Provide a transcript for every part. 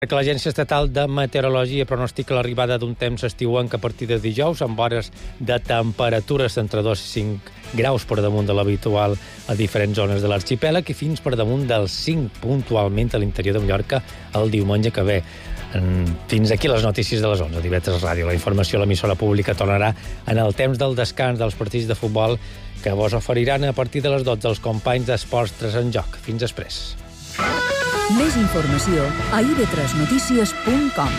Que l'Agència Estatal de Meteorologia pronostica l'arribada d'un temps estiuenc a partir de dijous, amb hores de temperatures entre 2 i 5 graus per damunt de l'habitual a diferents zones de l'arxipèlag i fins per damunt dels 5 puntualment a l'interior de Mallorca el diumenge que ve. Fins aquí les notícies de les 11 d'IV3 Ràdio. La informació a l'emissora pública tornarà en el temps del descans dels partits de futbol que vos oferiran a partir de les 12 els companys d'Esports 3 en Joc. Fins després. Més informació a ib3notícies.com.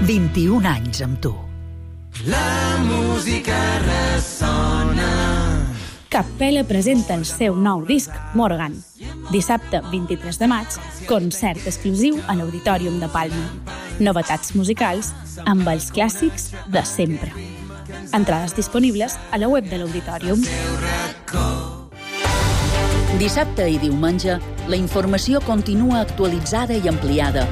«21 anys amb tu». La música ressona. Capella presenta el seu nou disc, Morgan. Dissabte 23 de maig, concert exclusiu a l'Auditorium de Palma. Novetats musicals amb els clàssics de sempre. Entrades disponibles a la web de l'Auditorium. Dissabte i diumenge, la informació continua actualitzada i ampliada.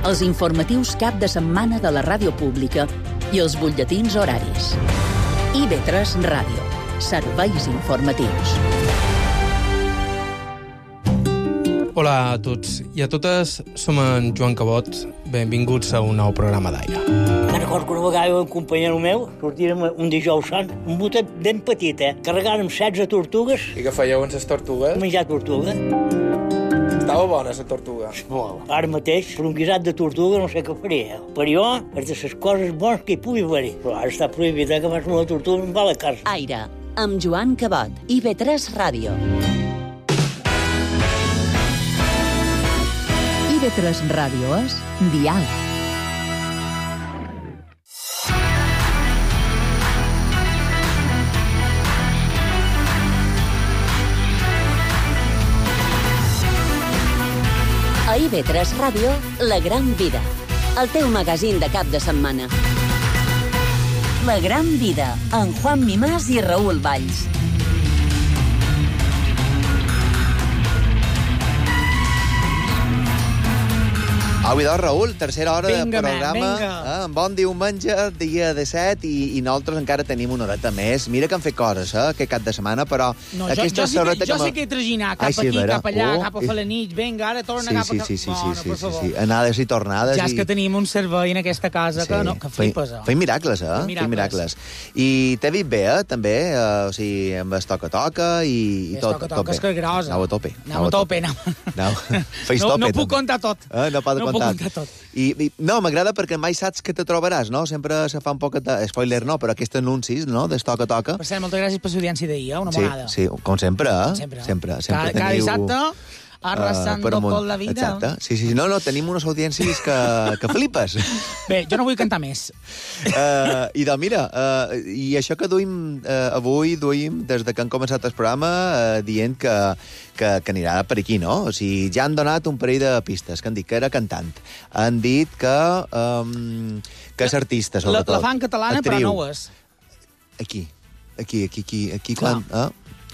Els informatius cap de setmana de la ràdio pública i els butlletins horaris. IB3 Ràdio. Serveis informatius. Hola a tots i a totes, som en Joan Cabot. Benvinguts a un nou programa d'Aire. Me'n recordo que una vegada un companyero meu sortirem un dijous sant, un botet ben petit, carregàrem 16 tortugues. I què fèieu amb les tortugues? Menjar tortuga. Estava bona, la tortuga. Molt. Ara mateix, per un guisat de tortuga no sé què faria. Per jo, és de les coses bones que hi pugui haver. Però ara està prohibit que vas una tortuga i em va a la casa. Aire, amb Joan Cabot, IB3 Ràdio. IB3 Ràdio és Dial. A IB3 Ràdio, La Gran Vida, el teu magazín de cap de setmana. La Gran Vida, amb Juan Mimàs i Raül Valls. Au, idò, Raül, tercera hora Vinga, de programa. vinga. Bon diumenge, dia 17, i nosaltres encara tenim una horeta més. Mira que han fet coses, aquest cap de setmana, però... No, jo sé que he traginat cap aquí, cap allà, cap a Falanich. Vinga, ara torna cap a... Sí. Anades i tornades. Ja és que tenim un servei en aquesta casa que flipes. Feim miracles, Feim miracles. I t'he vist bé, també, o sigui, amb el toca-toca i tot. Toca-toca és que grosa. Anau a tope. Feis tope. No puc contar tot. No pot contar. I no, m'agrada perquè mai saps què te trobaràs, no? Sempre se fa un poc de... Spoiler no, però aquests anuncis, no?, del toca-toca. Per cert, moltes gràcies per l'audiència d'ahir, una monada. Sí, com sempre, Sempre cada dissabte, arrasando tot la vida. Exacte. Sí. No, tenim unes audiències que flipes. Bé, jo no vull cantar més. I doncs, mira, i això que avui duim, des de que han començat el programa, dient que anirà per aquí, no? O sigui, ja han donat un parell de pistes, que han dit que era cantant. Han dit que és artista, sobretot. La fan catalana, actriu. però no ho és. Aquí, quan...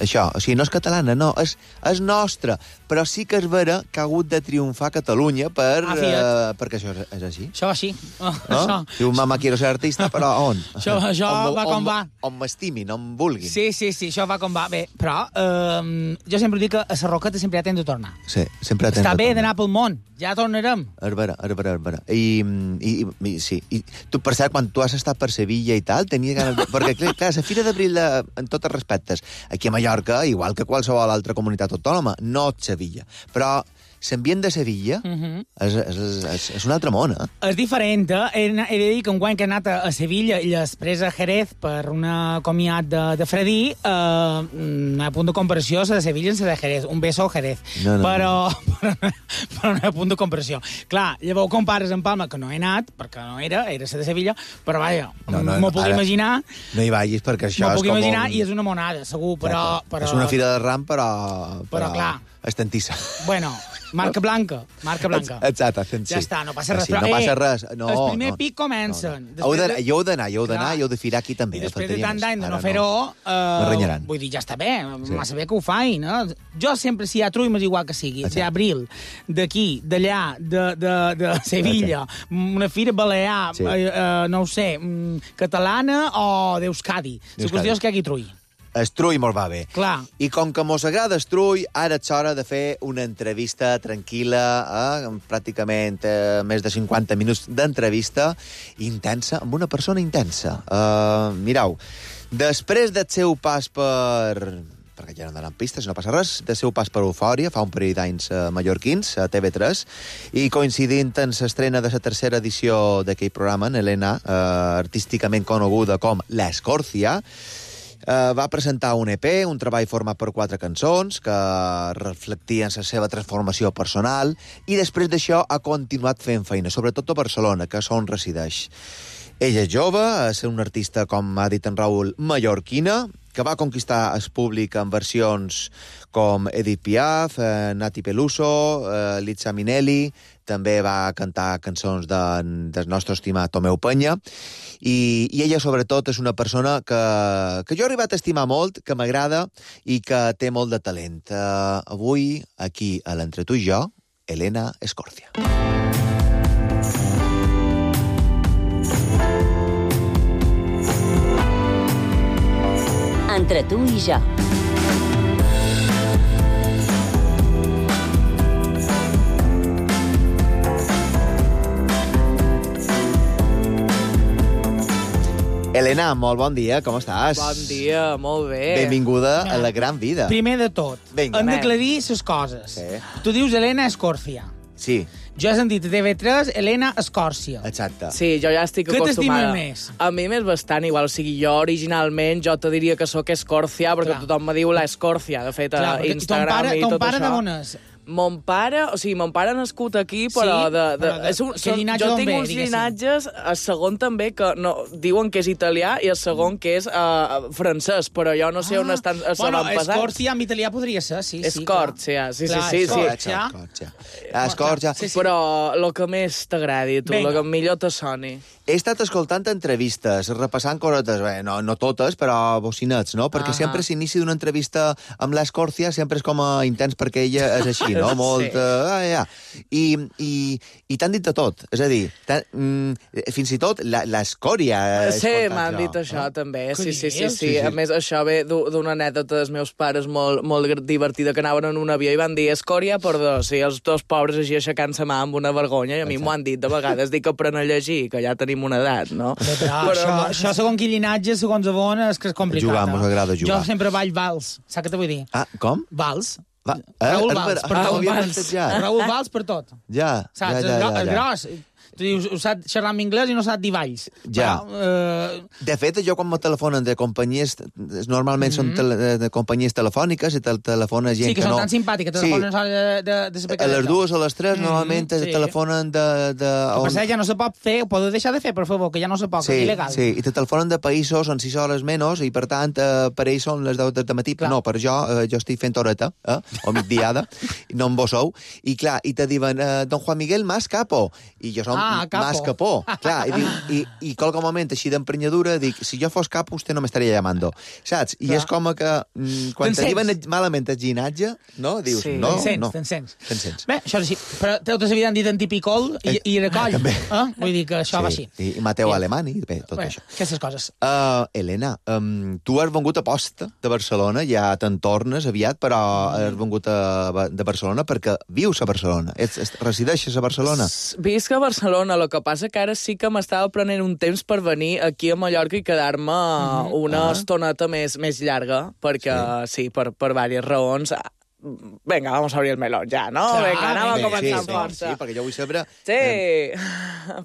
Això, o sigui, no és catalana, no, és nostra, però sí que és vera que ha hagut de triomfar a Catalunya perquè això és així. Això va així. No? Diu, mama, quiero ser artista, però on? Això va com va. On m'estimin, on vulguin. Sí, això va com va. Bé, però jo sempre dic que a la Roqueta sempre hi ha temps de tornar. Sí, sempre hi ha temps de tornar. Està bé d'anar pel món, ja tornarem. És vera. I sí. I tu, per cert, quan tu has estat per Sevilla i tal, tenia ganes de... Perquè, clar, la Fira d'Abril, en tots els respectes, aquí a Mallorca, igual que qualsevol altra comunitat autònoma, no Sevilla. Però l'ambient de Sevilla és un altre món, És diferent, He de dir que enguany que he anat a Sevilla i després a Jerez per una comiat de Fredí, a punt de comparació la de Sevilla i la de Jerez. Un beso a Jerez. Però no hi ha punt de comparació. Clar, llavors compares amb Palma, que no he anat, perquè no era la de Sevilla, però vaja, m'ho puc imaginar. No hi vagis, perquè això és com... M'ho puc imaginar i és una monada, segur, però... És una fira de ram, però clar... estantissa. Bueno, Marca blanca. Exacte, fent sí. Ja està, no passa res. Sí, no passa res. No, el primer pic comencen. Heu d'anar, i heu de firar aquí també. I després de tant d'any de no fer-ho, vull dir, ja està bé, massa bé que ho faig, no? Jo sempre, si hi ha trull, m'és igual que sigui. D'Abril, d'aquí, d'allà, de Sevilla, una fira balear, no ho sé, catalana o d'Euskadi. La qüestió és que hi hagi trull. Estrull molt va bé. Clar. I com que mos agrada Estrull, ara és hora de fer una entrevista tranquil·la, pràcticament més de 50 minuts d'entrevista intensa, amb una persona intensa. Mireu, després del seu pas perquè ja no donen pistes, no passa res, del seu pas per Eufòria, fa un parell d'anys mallorquins, a TV3, i coincidint en l'estrena de la tercera edició d'aquell programa, en Helena, artísticament coneguda com l'Escòrcia, va presentar un EP, un treball format per 4 cançons que reflectien la seva transformació personal, i després d'això ha continuat fent feina, sobretot a Barcelona, que és on resideix. Ella és jove, és una artista, com ha dit en Raül, mallorquina, que va conquistar el públic en versions com Edith Piaf, Nati Peluso, Liza Minnelli, també va cantar cançons del nostre estimat Tomeu Penya, i ella, sobretot, és una persona que jo he arribat a estimar molt, que m'agrada i que té molt de talent. Avui, aquí, a l'Entre tu i jo, Helena Escòrcia. Entre tu i jo. Helena, molt bon dia, com estàs? Bon dia, molt bé. Benvinguda a la gran vida. Primer de tot, hem d'aclarir les coses. Sí. Tu dius Helena Escòrcia. Sí. Jo he sentit a TV3 Helena Escòrcia. Exacte. Sí, jo ja estic acostumada. Què t'estimes més? A mi m'és bastant igual. O sigui, jo originalment jo te diria que sóc Escòrcia, perquè tothom me diu l'Escòrcia. De fet, a Instagram i tot això. Ton pare d'on és? Mon pare ha nascut aquí, però jo tinc uns llinatges, el segon també, que diuen que és italià, i el segon que és francès, però jo no sé on estan avantpassats. Escòrcia en italià podria ser, sí. Escòrcia, sí. Escòrcia. Però el que més t'agradi, tu, el que millor te soni. He estat escoltant entrevistes, repassant cosetes, no totes, però bocinets, no? Perquè sempre s'inici d'una entrevista amb l'Escòrcia, sempre és com a intens, perquè ella és així, no? Molt... I t'han dit de tot. És a dir, fins i tot l'Escòria... Sí, m'han dit això, també. Sí. A més, això ve d'una anècdota dels meus pares molt divertida, que anaven en un avió i van dir Escòria per dos, i els dos pobres així aixecant-se mà amb una vergonya, i a mi m'ho han dit de vegades, dic que apren a llegir, que ja tenim una edat, no? Però això, segons quin llinatge, segons on, és que és complicat. Jugar, mos agrada jugar. Jo sempre ball vals. Saps què te vull dir? Com? Vals. Raül Valls, per tot. Raül Valls per tot. Ja. Saps? És gros. Tu dius, sap xerrar en anglès i no sap dir valls. Ja. De fet, jo quan me telefonen de companyies, normalment són de companyies telefòniques, i telefona gent que no... Sí, que són tan simpàtiques, telefonen de saber què... A les 2 o a les 3, normalment telefonen de... Per cert, ja no se pot fer, ho podeu deixar de fer, per favor, que ja no se pot, que és il·legal. Sí, i te telefonen de països on 6 hores menys, i per tant, per ells són les 10 de matí. No, per jo estic fent horeta, o migdiada, no em vos sou, i clar, i te diuen, don Juan Miguel Mas Capo, i jo som Mas Capó. Clar, i qualque moment així d'emprenyadura dic, si jo fos capo, vostè no m'estaria llamando. Saps? I és com que quan t'arriben malament el ginatge, no? Dius, no. Te'n sents. Bé, això és així. Però totes havien dit antipicol i recoll. Vull dir que això va així. I Mateu Alemany, bé, tot això. Aquestes coses. Helena, tu has vengut a posta de Barcelona, ja te'n tornes aviat, però has vengut de Barcelona perquè vius a Barcelona. Resideixes a Barcelona? Visc a Barcelona. El que passa que ara sí que m'estava prenent un temps per venir aquí a Mallorca i quedar-me una estoneta més llarga, perquè sí, per diverses raons. Venga, vamos a abrir el melón ja, no? Vinga, anem a començar amb força. Sí, perquè jo vull saber... Sí,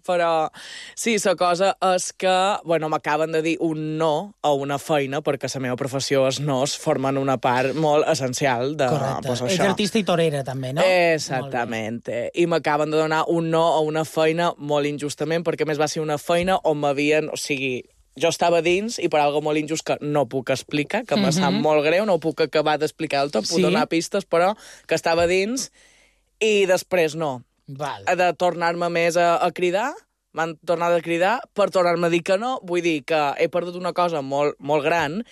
però sí, la cosa és que, m'acaben de dir un no a una feina, perquè la meva professió, els nos, formen una part molt essencial de... Correcte. Ets artista i torera, també, no? Exactament. I m'acaben de donar un no a una feina molt injustament, perquè més va ser una feina on m'havien... O sigui, jo estava dins i per algo molt injust que no puc explicar, que me sap molt greu, no ho puc acabar d'explicar del tot, puc donar pistes, però que estava dins I després no. Val. De tornar-me més a cridar, m'han tornat a cridar per tornar-me a dir que no. Vull dir que he perdut una cosa molt, molt gran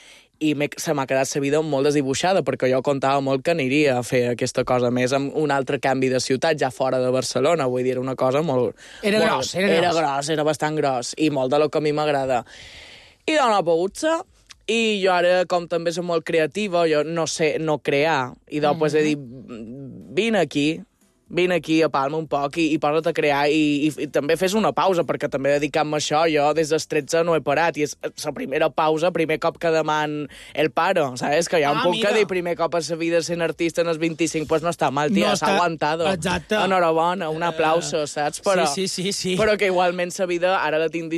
i se m'ha quedat la vida molt desdibuixada, perquè jo comptava molt que aniria a fer aquesta cosa més amb un altre canvi de ciutat, ja fora de Barcelona. Vull dir, era una cosa molt... Era gros. Era bastant gros, i molt de lo que a mi m'agrada. I no ha pogut ser, i jo ara, com també soc molt creativa, jo no sé no crear, i doncs he dit, vine aquí a Palma un poc i posa't a crear i també fes una pausa, perquè també dedicant-me a això, jo des dels 13 no he parat, i és la primera pausa, primer cop que deman el paro, saps? Que hi ha un punt que dir primer cop a la vida sent artista en els 25, pues no està mal, tia, s'ha aguantado. Exacte. Enhorabona, un aplauso, saps? Però, sí. Però que igualment la vida ara la tinc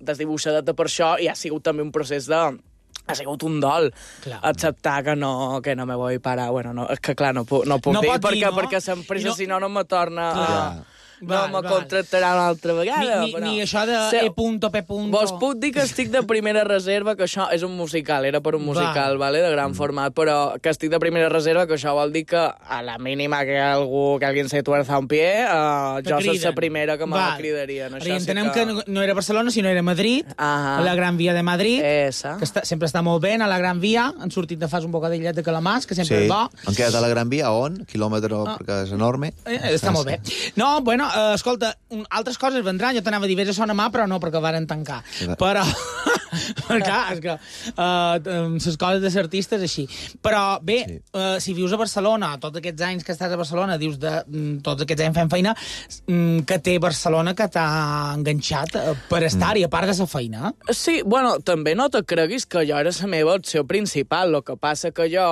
desdibuixadeta per això, i ha sigut també un procés de... Ha sigut un dol acceptar que no me vull parar. Bueno, no, és que clar, no puc dir, perquè s'empresa, si no me torna... No me contractarà una altra vegada. Ni això de E.P. Vos puc dir que estic de primera reserva, que això és un musical, era per un musical, vale, de gran format, però que estic de primera reserva, que això vol dir que a la mínima que alguien se tuerza un pie, jo soc la primera que me cridaria. I entenem que no era Barcelona, sinó era Madrid, a la Gran Via de Madrid, que sempre està molt bé, a la Gran Via, han sortit de fas un bocadillet de calamars, que sempre és bo. Han quedat a la Gran Via, on? Quilòmetre, perquè és enorme. Està molt bé. No, bueno, escolta, altres coses vendran. Jo t'anava a dir, vés a Sona Mà, però no, perquè varen tancar. Però, clar, és que les coses de ser artista és així. Però, bé, si vius a Barcelona, tots aquests anys que estàs a Barcelona, dius tots aquests anys fent feina, que té Barcelona que t'ha enganxat per estar-hi, a part de la feina. Sí, bueno, també no te creguis que jo era la meva opció principal. El que passa que jo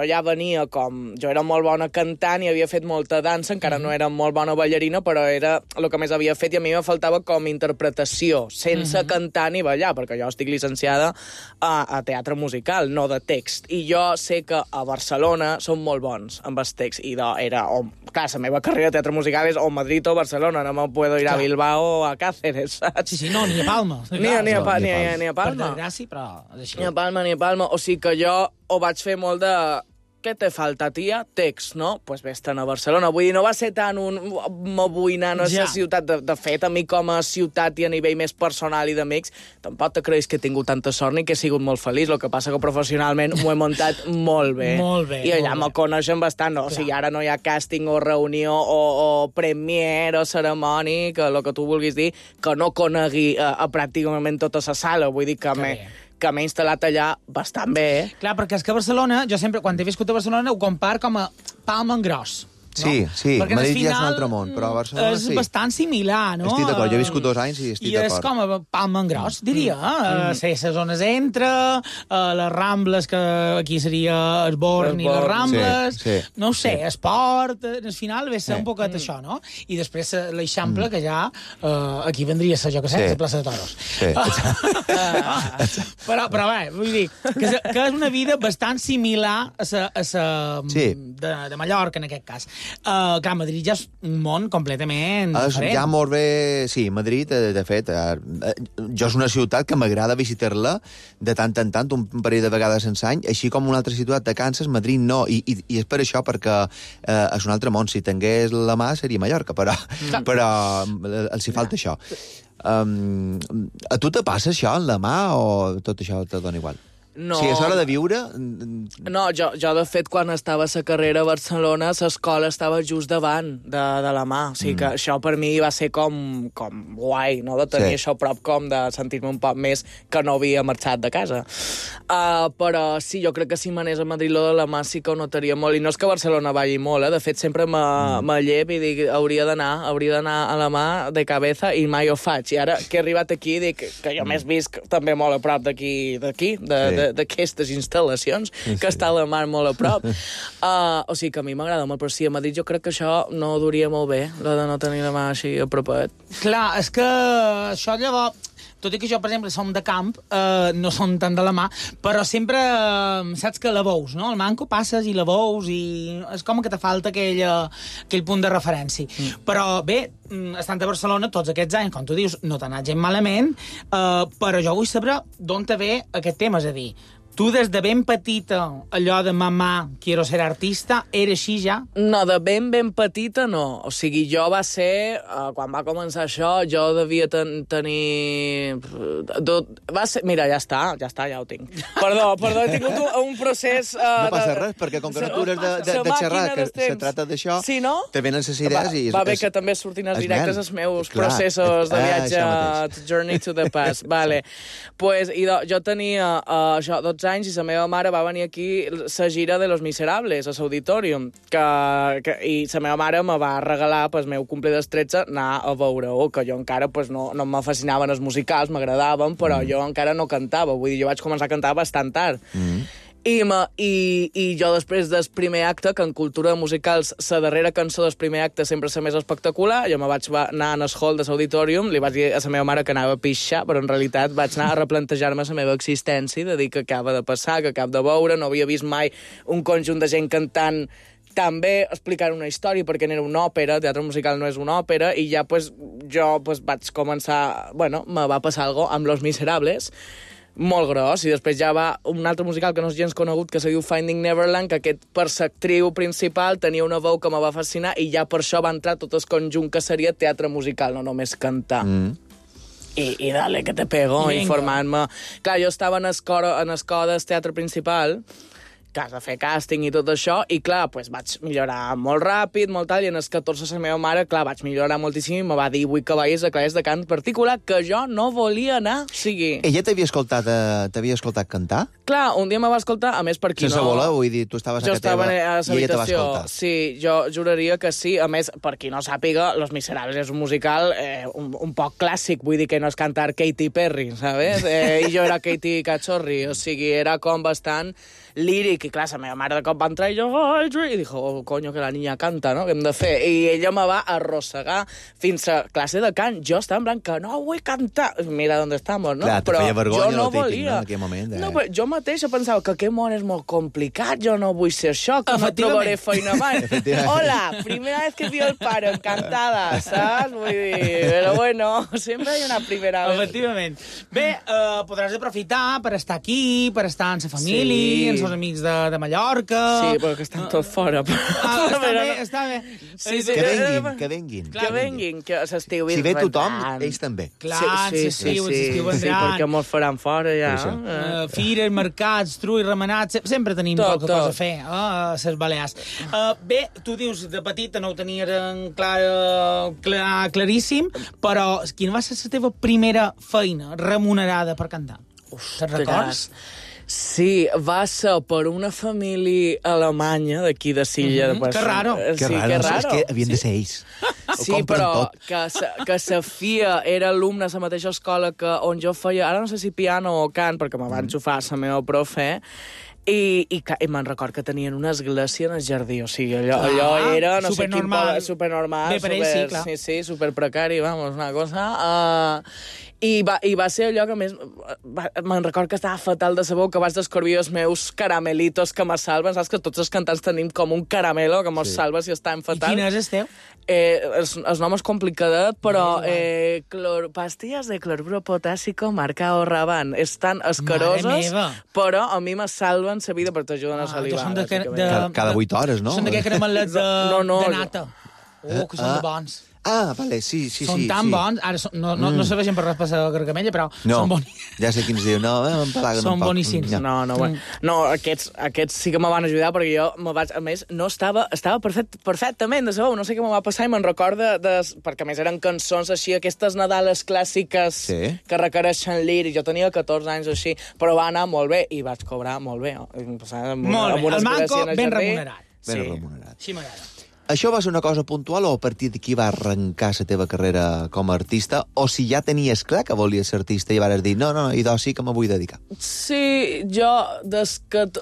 ja venia com... Jo era molt bona cantant i havia fet molta dansa, encara no era molt bona ballarina, però era el que més havia fet, i a mi me faltava com interpretació, sense cantar ni ballar, perquè jo estic llicenciada a teatre musical, no de text. I jo sé que a Barcelona són molt bons amb els texts. I era, clar, la meva carrera de teatre musical és o Madrid o Barcelona, no me puedo ir a Bilbao o a Cáceres, saps? Sí, no, ni a Palma. Ni a Palma. Per desgràcia, però... Ni a Palma. O sigui que jo ho vaig fer molt de... Què te falta, tia? Text, no? Pues vés-te'n a Barcelona. Vull dir, no va ser tant un... Me vull anar a la ciutat. De fet, a mi com a ciutat i a nivell més personal i d'amics, tampoc te creus que he tingut tanta sort ni que he sigut molt feliç. El que passa que professionalment m'ho he muntat molt bé. Molt bé. I allà me coneixen bastant. No? O sigui, ara no hi ha càsting o reunió o premier o cerimoni, que el que tu vulguis dir, que no conegui a pràcticament tota la sala. Vull dir que m'he instal·lat allà bastant bé. Clar, perquè és que Barcelona, jo sempre, quan he viscut a Barcelona, ho compar com a Palma en gros. Sí, Madrid ja és un altre món, però a Barcelona és bastant similar, no? Estic d'acord, jo he viscut 2 anys i estic d'acord. I és com a Palma en gros, diria. Les zones entre, les Rambles, que aquí seria el Born i les Rambles, no ho sé, esport, al final ve ser un poquet això, no? I després l'Eixample, que ja aquí vendria ser, jo que sé, la plaça de Toros. Però bé, vull dir, que és una vida bastant similar a de Mallorca, en aquest cas. Clar, Madrid ja és un món completament diferent. Ja molt bé... Sí, Madrid, de fet, jo és una ciutat que m'agrada visitar-la de tant en tant, un parell de vegades en l'any, així com una altra ciutat de Kansas, Madrid no, i és per això, perquè és un altre món. Si tingués la mà seria Mallorca, però els hi falta això. A tu te passa això en la mà o tot això te dona igual? No. Si és hora de viure... No, jo de fet, quan estava a la carrera a Barcelona, l'escola estava just davant de la mà. O sigui que això per mi va ser com guai, no?, de tenir això a prop, com de sentir-me un poc més que no havia marxat de casa. Però sí, jo crec que si m'anés a Madrid lo de la mà sí que ho notaria molt. I no és que Barcelona balli molt, De fet, sempre me llep i dic, hauria d'anar a la mà de cabeza, i mai ho faig. I ara que he arribat aquí, dic que jo més visc també molt a prop d'aquí, d'aquestes instal·lacions, que està a la mar molt a prop. O sigui que a mi m'agrada molt, però sí, a Madrid jo crec que això no duria molt bé, la de no tenir la mà així a propet. Clar, és que això llavors... Tot i que jo, per exemple, som de camp, no som tant de la mà, però sempre saps que la veus, no? El manco passes i la veus i és com que te falta aquell punt de referència. Però bé, estant a Barcelona tots aquests anys, com tu dius, no t'ha anat gent malament, però jo vull saber d'on te ve aquest tema, és a dir, Tu des de ben petita, allò de mamà, quiero ser artista, era així ja? No, de ben petita no. O sigui, jo va ser... quan va començar això, jo devia tenir... Mira, ja està, ja ho tinc. Perdó, he tingut un procés... No passa res, perquè com que no cures de xerrar, que se trata d'això, sí, no? te venen les idees i... Va bé que també surtin els directes els meus processos de viatge Journey to the Past. Vale. Pues, jo tenia això, 12 anys i la meva mare va venir aquí la gira de Los Miserables, a l'Auditorium, i la meva mare me va regalar pel meu cumple dels 13 anar a veure-ho, que jo encara no me fascinaven els musicals, m'agradaven, però jo encara no cantava, vull dir, jo vaig començar a cantar bastant tard. I jo després del primer acte, que en cultura de musicals la darrera cançó del primer acte sempre és la més espectacular, jo me vaig anar en el hall de l'Auditorium, li vaig dir a la meva mare que anava a pixar, però en realitat vaig anar a replantejar-me la meva existència, de dir que acaba de passar, que acabo de veure, no havia vist mai un conjunt de gent cantant també explicar una història, perquè era una òpera, teatre musical no és una òpera, i ja jo vaig començar... Bueno, me va passar alguna cosa amb Los Miserables, molt gros, i després ja va un altre musical que no és gens conegut, que se diu Finding Neverland, que aquest per l'actriu principal tenia una veu que me va fascinar, i ja per això va entrar tot el conjunt que seria teatre musical, no només cantar. I dale, que te pego, informant-me. Clar, jo estava en el cor del teatre principal, que has de fer càsting i tot això, i clar, vaig millorar molt ràpid, molt tal, i en els 14 la meva mare, clar, vaig millorar moltíssim i me va dir, vull que vagis a classes de cant particular, que jo no volia anar, o sigui... Ella t'havia escoltat cantar? Clar, un dia me va escoltar, a més per qui sense voler, vull dir, tu estaves a casa teva i ella te va escoltar. Sí, jo juraria que sí, a més, per qui no sàpiga, Los Miserables és un musical un poc clàssic, vull dir que no és cantar Katy Perry, ¿sabes? I jo era Katy Cachorri, o sigui, era com bastant líric, i clar, la meva mare de cop va entrar i jo, i dijo, oh, coño, que la niña canta, no? Què hem de fer? I ella me va arrossegar fins a classe de cant. Jo estava en blanc, que no vull cantar. Mira on estamos, no? Clar, però feia vergonya, jo no no, volia. en aquell moment. No, però jo mateixa pensava que aquest món és molt complicat, jo no vull ser això, que no trobaré feina mai. Hola, primera vez que vio el pare encantada, saps? Vull dir, però bueno, sempre hi ha una primera vez. Efectivament. Bé, podràs aprofitar per estar aquí, per estar amb la família, amb els amics de Mallorca... Sí, però que estan tots fora. Està bé. Sí, que venguin. Que venguin, que s'estiu si ve tothom, ells també. Clar, s'estiu vendran. Sí, perquè molts faran fora, ja. Fires, mercats, trull, remenats... Sempre tenim poca cosa a fer, a les Balears. Bé, tu dius, de petita no ho tenies claríssim, però quina va ser la teva primera feina remunerada per cantar? Te'n records? Sí, va ser per una família alemanya d'aquí de Silla. Que raro. Que raro. És que havien de ser ells. Sí, però que sa filla era alumna a la mateixa escola on jo feia, ara no sé si piano o cant, perquè me va enxufar la meva profe, i me'n record que tenien una església en el jardí, o sigui, allò era no sé quin poble, supernormal, sí, superprecari, vamos, una cosa... I va ser allò que més... Me'n record que estava fatal de sabó, que vaig descobrir els meus caramelitos que me salven. Saps que tots els cantants tenim com un caramelo que mos salva si estem fatal. I quin és el teu? El nom és complicadet, però pastilles de cloruro potàssico marca o Raban. Estan escaroses, però a mi me salven la vida perquè t'ajuden a salivar. Cada 8 hores, no? Són d'aquests caramelets de nata. Que són de bons. Ah, vale, sí. Són tan bons. Ara no serveixen per raspar la gargamella, però són boníssims. Ja sé quins diu. No, m'empalaguen un poc. Són boníssims. No, aquests sí que me van ajudar, perquè jo a més, no estava perfectament de sabó. No sé què me va passar i me'n recorda, perquè a més eren cançons així, aquestes Nadales clàssiques que requereixen líric. Jo tenia 14 anys o així, però va anar molt bé i vaig cobrar molt bé. Molt bé, el manco ben remunerat. Ben remunerat. Sí, m'agrada. Això va ser una cosa puntual o a partir d'aquí va arrencar la teva carrera com a artista? O si ja tenies clar que volies ser artista i vas dir, no, idò sí que me vull dedicar? Sí, jo,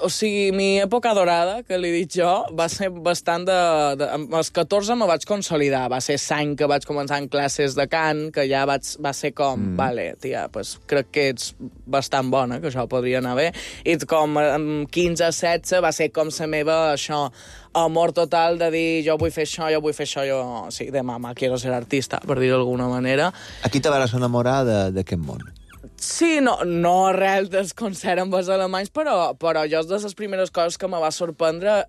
o sigui, mi època dorada, que li he dit jo, va ser bastant als 14 me vaig consolidar. Va ser l'any que vaig començar en classes de cant, que ja va ser com, vale, tia, pues crec que ets bastant bona, que això podria anar bé. I com amb 15-16 va ser com la meva, això, amor total de dir jo vull fer això, sí, de mama, quiero ser artista, per dir-ho d'alguna manera. Aquí te vas enamorar d'aquest món? Sí, no arrel del concert amb els alemanys, però jo de les primeres coses que me va sorprendre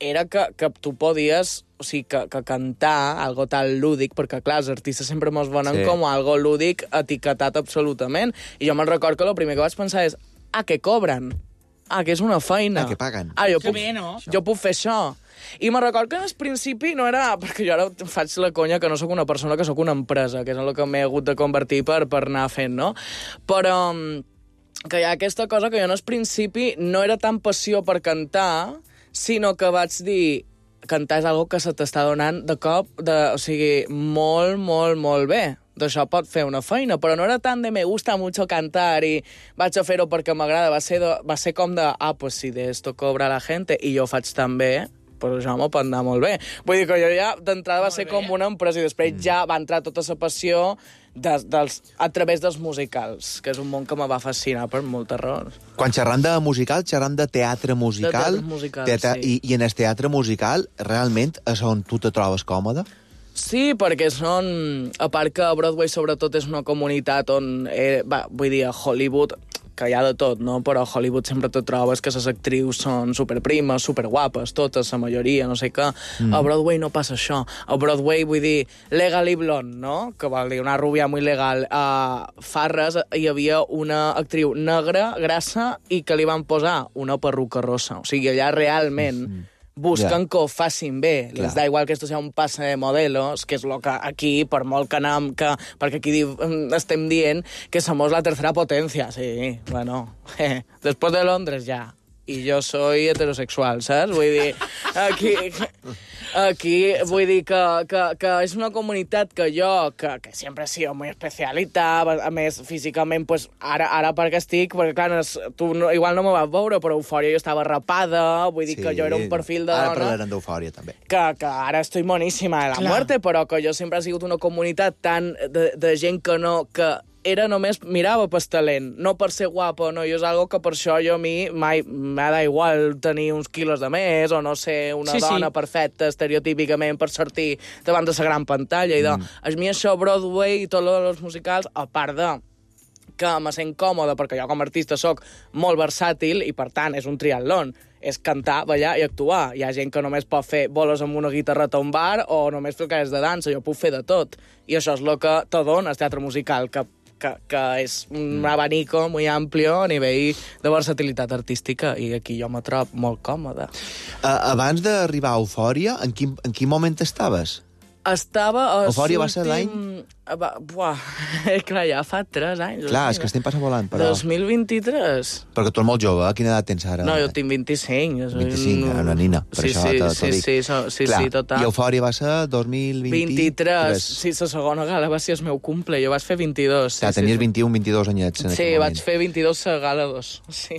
era que tu podies, o sigui, que cantar algo tan lúdic, perquè, clar, els artistes sempre mos venen com algo lúdic etiquetat absolutament. I jo me'n record que el primer que vaig pensar és que cobren, que és una feina. Que paguen. Jo puc fer això. I me'n record que en el principi no era... Perquè jo ara faig la conya que no sóc una persona, que sóc una empresa, que és el que m'he hagut de convertir per anar fent, no? Però que hi ha aquesta cosa que jo en el principi no era tan passió per cantar, sinó que vaig dir cantar és algo que se t'està donant de cop, o sigui, molt, molt, molt bé. D'això pot fer una feina, però no era tant de me gusta mucho cantar i vaig a fer-ho perquè m'agrada. Va ser com de, pues si de esto cobra la gente i jo faig tan bé, pues això m'ho pot anar molt bé. Vull dir que jo ja d'entrada va ser com una empresa i després ja va entrar tota la passió a través dels musicals, que és un món que me va fascinar per moltes raons. Quan xerram de musical, xerram de teatre musical. De teatre musical, sí. I en el teatre musical, realment, és on tu te trobes còmode? Sí, perquè a part que Broadway sobretot és una comunitat on, vull dir, a Hollywood, que hi ha de tot, no? Però a Hollywood sempre te trobes que les actrius són superprimes, superguapes, totes, la majoria, no sé què. A Broadway no passa això. A Broadway, vull dir, Legally Blonde, no? Que vol dir una rubia muy legal. A Farres hi havia una actriu negra, grassa, i que li van posar una perruca rosa. O sigui, allà realment busquen que ho facin bé. Les da igual que esto sea un pase de modelos, que és el que aquí, per molt que anem, perquè aquí estem dient que somos la tercera potencia. Sí, bueno, después de Londres ja. I jo soy heterosexual, saps? Vull dir, aquí vull dir que és una comunitat que jo, que sempre he sido muy especialita, a més, físicament, pues, ara perquè estic, perquè clar, tu igual no me vas veure, però Eufòria jo estava rapada, vull dir que jo era un perfil de dona... Ara parlarem d'Eufòria, també. Que ara estoy moníssima de la muerte, però que jo sempre he sigut una comunitat tan de gent que no... que era només, mirava pel talent, no per ser guapo, no, i és algo que per això jo a mi mai m'ha da igual tenir uns quilos de més o no ser una dona perfecta estereotípicament per sortir davant de la gran pantalla. I a mi això, Broadway i tot els musicals, a part de que me sent còmode, perquè jo com a artista sóc molt versàtil i, per tant, és un triatlon. És cantar, ballar i actuar. Hi ha gent que només pot fer boles amb una guitarreta a un bar o només fer coses de dansa. Jo puc fer de tot. I això és el que te dona el teatre musical, que és un abanico muy amplio a nivell de versatilitat artística, i aquí jo me trobo molt còmode. Abans d'arribar a Eufòria, en quin moment estaves? Eufòria va ser l'any? Clar, ja fa 3 anys. Clar, és que estem passant volant, però... 2023. Perquè tu ets molt jove, quina edat tens ara? No, jo tinc 25. 25, una nina, per això t'ho dic. Sí, total. I Eufòria va ser 2023. Sí, la segona gala va ser el meu cumple, jo vaig fer 22. Clar, tenies 21, 22 anyets. Sí, vaig fer 22 a gala 2.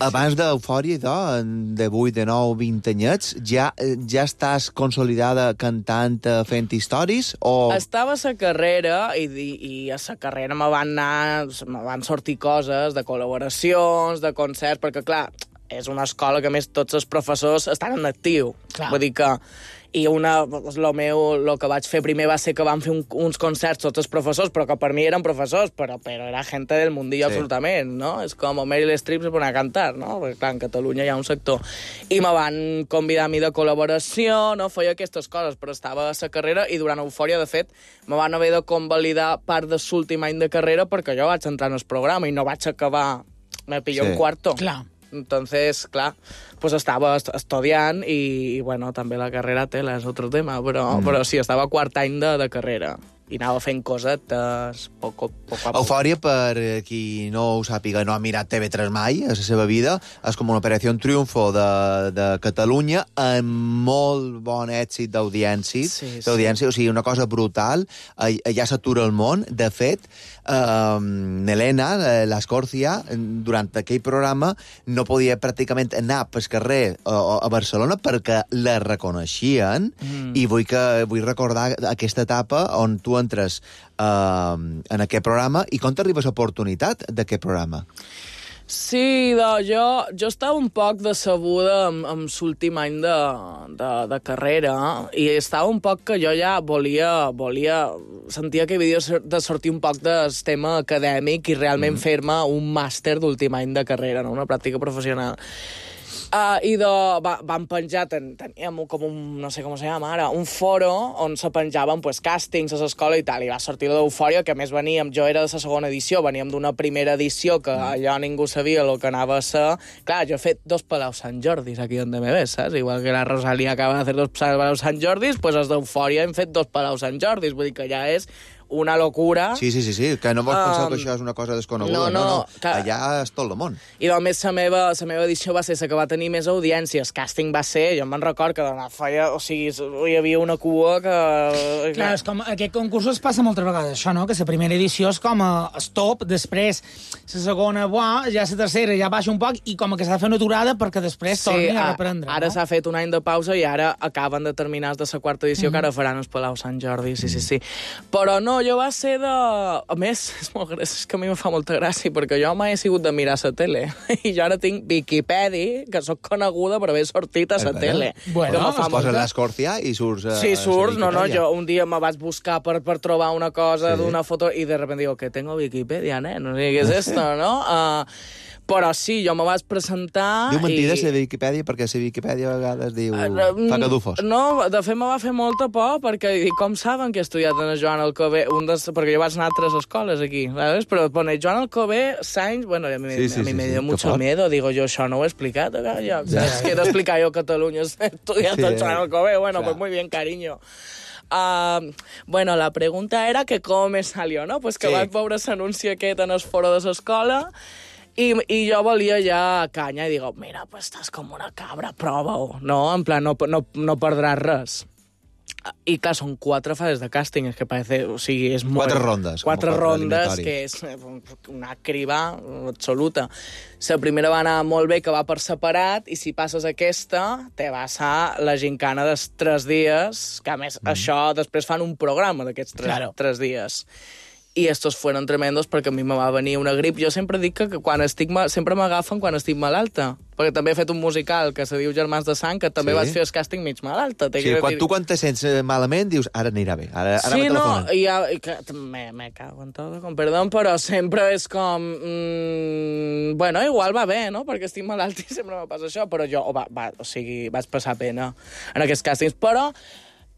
Abans d'Eufòria, de 8, de 9, 20 anyets, ja estàs consolidada cantant, fent històries, o... Estava a la carrera i a la carrera me van sortir coses de col·laboracions, de concerts, perquè, clar, és una escola que, a més, tots els professors estan en actiu. Clar. Vull dir que... I el que vaig fer primer va ser que vam fer uns concerts tots els professors, però que per mi eren professors, però era gent del mundillo absolutament, no? És com Meryl Streep se pone a cantar, no? Perquè, clar, en Catalunya hi ha un sector. I me van convidar a mi de col·laboració, no? Feia aquestes coses, però estava a la carrera i durant Eufòria, de fet, me van haver de convalidar part de l'últim any de carrera perquè jo vaig entrar en el programa i no vaig acabar... Me pilló un cuarto. Clar. Entonces, clar, pues estava estudiant i, bueno, també la carrera tela és otro tema, però sí, estava a quart any de carrera i anava fent cosetes poc a poc. Eufòria, per qui no ho sàpiga, no ha mirat TV3 mai a la seva vida, és com una operació triomfo de Catalunya amb molt bon èxit d'audiència, o sigui, una cosa brutal, ja s'atura el món. De fet, Helena, l'Escòrcia, durant aquell programa no podia pràcticament anar pel carrer a Barcelona perquè la reconeixien, i vull recordar aquesta etapa on tu entres en aquest programa. I com t'arribes l'oportunitat d'aquest programa? Sí, jo estava un poc decebuda amb l'últim any de carrera i estava un poc que jo ja volia sentia que havia de sortir un poc del tema acadèmic i realment fer-me un màster d'últim any de carrera, no? Una pràctica professional. I vam penjar, teníem com un, no sé com se llama ara, un foro on se penjaven càstings a l'escola i tal, i va sortir l'Eufòria, que a més jo era de la segona edició, veníem d'una primera edició que allò ningú sabia el que anava a ser. Clar, jo he fet 2 Palaus Sant Jordis aquí on me ves, saps? Igual que la Rosalia acaba de fer 2 Palaus Sant Jordis, doncs els d'Eufòria hem fet 2 Palaus Sant Jordis, vull dir que ja és una locura. Sí, que no vols pensar que això és una cosa desconeguda. No. Allà és tot el món. I només la meva edició va ser la que va tenir més audiències. Casting va ser, jo me'n record que feia, o sigui, hi havia una cua que... Clar, és com, aquest concurs es passa moltes vegades, això, no? Que la primera edició és com el top, després la segona, ja la tercera ja baixa un poc i com que s'ha de fer una aturada perquè després torni a reprendre. Ara s'ha fet un any de pausa i ara acaben de terminar de la quarta edició que ara faran els Palau Sant Jordi, sí. Però no, jo va ser de... A més, és que a mi me fa molta gràcia, perquè jo mai he sigut de mirar la tele. I jo ara tinc Wikipedia, que sóc coneguda per haver sortit a la tele. Bueno, es posa l'Escòrcia i surts... Sí, surts. No, jo un dia me vaig buscar per trobar una cosa d'una foto i de repente digo, que tengo Wikipedia, no sé què és esto, no? Però sí, jo me vaig presentar... Diu mentides la Wikipedia, perquè la Wikipedia a vegades diu... fa cadufos. No, de fet me va fer molta por, perquè com saben que he estudiat en el Joan Alcover, perquè jo vaig anar a 3 escoles aquí, ¿sabes? Però pone Joan Alcover, Sainz... Bueno, a mi me dio mucho miedo, digo yo, això no ho he explicat, es que he d'explicar jo a Catalunya, he estudiat el Joan Alcover, bueno, pues muy bien, cariño. Bueno, la pregunta era que com me salió, no? Pues que vaig veure l'anunci aquest en el foro de l'escola i jo volia ja canya i digo, mira, pues estàs com una cabra, prova-ho, no? En plan, no perdràs res. I clar, són 4 fases de càsting, és que parece, o sigui, és molt... 4 rondes. 4 rondes, que és una criba absoluta. La primera va anar molt bé, que va per separat, i si passes aquesta, te vas a la gincana dels 3 dies, que a més això després fan un programa d'aquests 3 dies. I estos fueron tremendos perquè a mi me va venir una grip. Jo sempre dic que quan sempre m'agafen quan estic malalta. Perquè també he fet un musical que se diu Germans de Sang, que també vaig fer el càsting mig malalta. Sí, quan te sents malament dius, ara anirà bé, ara me telefonen. Sí, me cago en tot, com perdó, però sempre és com... bueno, igual va bé, no? Perquè estic malalt i sempre me passa això, però jo, o sigui, vaig passar pena en aquests càstings. Però,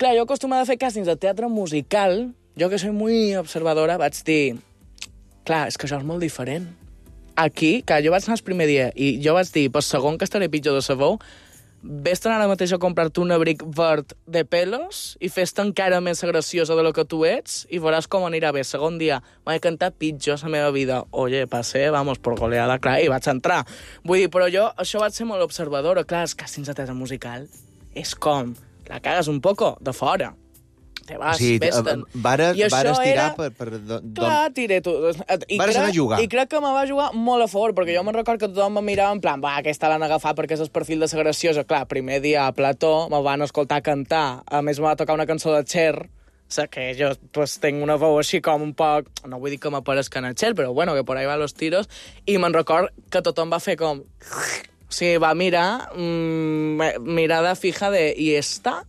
clar, jo acostumada a fer càstings de teatre musical. Jo, que soy muy observadora, vaig dir... Clar, és que això és molt diferent. Aquí, que jo vaig anar el primer dia i jo vaig dir, per segon que estaré pitjor de sabó, vés-te'n ara mateix a comprar-te un abric verd de pelos i fes-te encara més graciosa de lo que tu ets i veuràs com anirà bé. Segon dia, m'he cantat pitjor la meva vida. Oye, passé, vamos, por goleada, clar, i vaig entrar. Vull dir, però jo, això vaig ser molt observadora. Clar, els càstings de teatre musical és com... La cagues un poco de fora. Te vas, vés-te'n. Vares tirar per... Clar, tiré tu. Vares anar a jugar. I crec que me va jugar molt a favor, perquè jo me'n record que tothom me mirava en plan, aquesta l'han agafat perquè és el perfil de la graciosa. Clar, primer dia a Plató me van escoltar cantar. A més, me va tocar una cançó de Cher, que jo tinc una veu així com un poc... No vull dir que m'aparezca en el Cher, però bueno, que por ahí va los tiros. I me'n record que tothom va fer com... O sigui, va mirar, mirada fija de... I esta...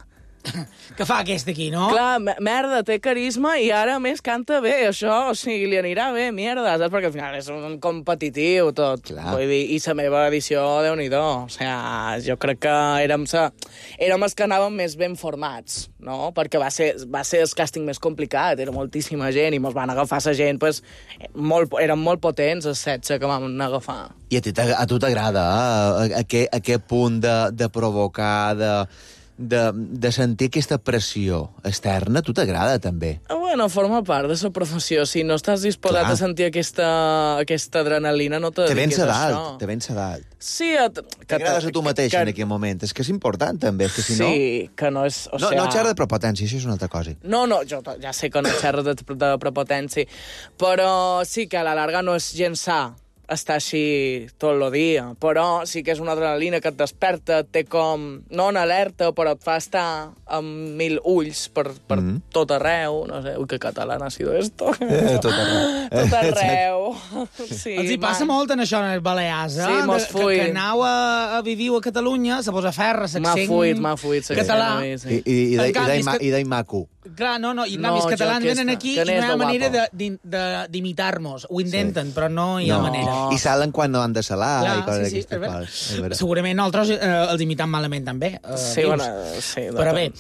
Que fa aquest aquí, no? Clar, merda, té carisma i ara més canta bé, això, o sigui, li anirà bé, mierda, saps? Perquè al final és un competitiu tot. Clar. Vull dir, i la meva edició, Déu-n'hi-do. O sigui, jo crec que érem els que anàvem més ben formats, no? Perquè va ser el càsting més complicat, era moltíssima gent i mos van agafar la gent, pues, eren molt potents els 16 que vam agafar. I a tu t'agrada, aquest punt de provocar, de sentir aquesta pressió externa, a tu t'agrada, també? Bueno, forma part de la professió. Si no estàs disposat a sentir aquesta adrenalina, no te dediquis a això. Te vens a dalt. Sí, t'agrades a tu mateix en aquell moment. És que és important, també, que si no... Sí, que no és... No xerra de prepotència, això és una altra cosa. No, jo ja sé que no xerra de prepotència, però sí que a la larga no és gens sa estar així tot el dia, però sí que és una adrenalina que et desperta, té com, no en alerta, però et fa estar amb 1000 ulls per tot arreu, no sé, que català ha sido esto. Tot arreu. Tot arreu. Sí, els hi passa molt en això, en els Balears, Sí, mos fuit. que anau a viviu a Catalunya, se posa ferra, s'accent m'ha fuit català. I d'ahir maco. Clar, no, i en canvi els catalans venen aquí i no hi ha manera d'imitar-nos. Ho intenten, però no hi ha manera. I salen quan no han de salar. Clar, i coses sí, d'aquestes. Segurament nosaltres els imitam malament, també. Sí, però bé,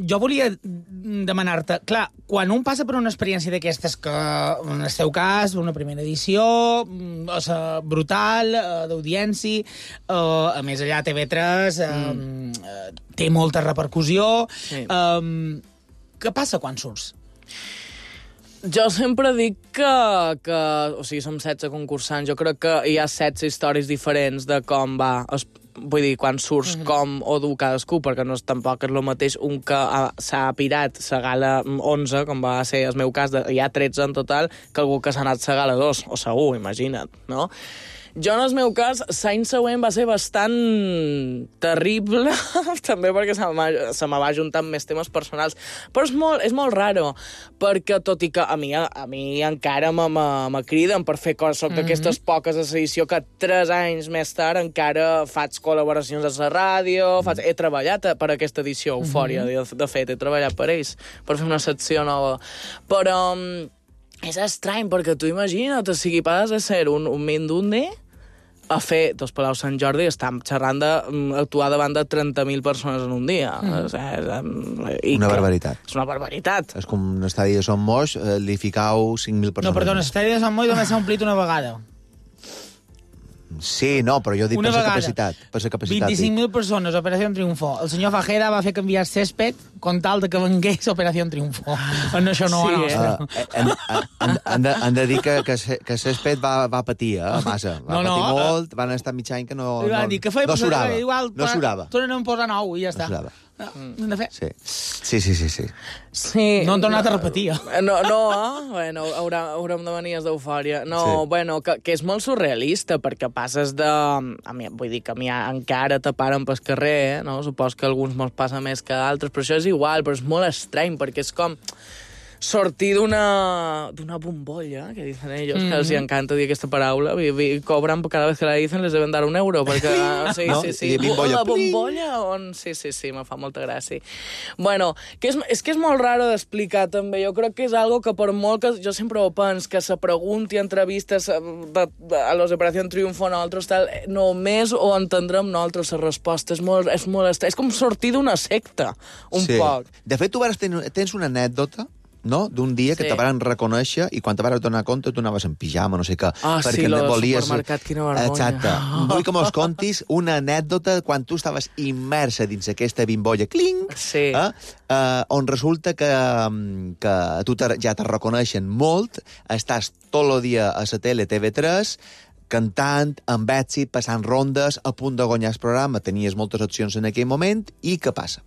jo volia demanar-te, clar, quan un passa per una experiència d'aquestes que, en el seu cas, una primera edició, brutal, d'audiència, a més allà TV3 té molta repercussió. Què passa quan surts? Jo sempre dic que o sigui, som 16 concursants. Jo crec que hi ha 16 històries diferents de com va. Vull dir, quan surts, com o dur cadascú, perquè no tampoc és el mateix un que s'ha pirat sa gala 11, com va ser el meu cas, hi ha 13 en total, que algú que s'ha anat sa gala 2, o segur, imagina't, no? Jo, en el meu cas, l'any següent va ser bastant terrible, també perquè se me va juntar amb més temes personals. Però és molt raro, perquè tot i que a mi encara me criden per fer coses, soc d'aquestes poques de l'edició que 3 anys més tard encara faig col·laboracions a la ràdio, he treballat per aquesta edició, Eufòria, de fet, he treballat per ells, per fer una secció nova. Però és estrany, perquè tu imagina't, o sigui, passes de ser un mindundi a fer dos Palau Sant Jordi i estem xerrant d'actuar davant de 30.000 persones en un dia. Una barbaritat. És una barbaritat. És com un estadi de Son Moix, li ficau 5.000 persones. No, perdona, l'estadi de Sant Moix només s'ha omplit una vegada. Sí, no, però jo dic per la capacitat. 25.000 persones, Operació Triunfo. El senyor Fajeda va fer canviar césped con tal de que vengués Operació Triunfo. En això no Han de dir que césped va patir, massa. Va patir molt, van estar mig any que no surava. Tornen a posar nou i ja està. No surava. Sí. No han tornat a repetir. Bueno, haurem de venir d'Eufòria. No, bueno, que és molt surrealista, perquè passes de... Vull dir que a mi encara te paren pel carrer, no? Supos que a alguns mos passa més que a altres, però això és igual, però és molt estrany, perquè és com sortir d'una bombolla, que dicen ellos, que els encanta dir aquesta paraula, cobran cada vez que la dicen, les deben dar €1, perquè... Sí. La bombolla, on... Sí, me fa molta gràcia. Bueno, és que és molt raro d'explicar, també. Jo crec que és algo que per molt que... Jo sempre ho penso, que se pregunti entrevistes a los Operació Triunfo nosaltres, tal, només ho entendrem nosaltres, la resposta. És molt estrany. És com sortir d'una secta, un poc. De fet, tu tens una anècdota, no? D'un dia que te van reconèixer i quan te vas donar compte tu anaves en pijama, no sé què. Sí, el supermercat, quina vergonya. Exacte. Vull que mos contis una anècdota quan tu estaves immersa dins aquesta bimbolla, on resulta que tu ja te reconeixen molt, estàs tot el dia a la tele TV3, cantant, amb èxit, passant rondes, a punt de guanyar el programa, tenies moltes opcions en aquell moment, i què passa?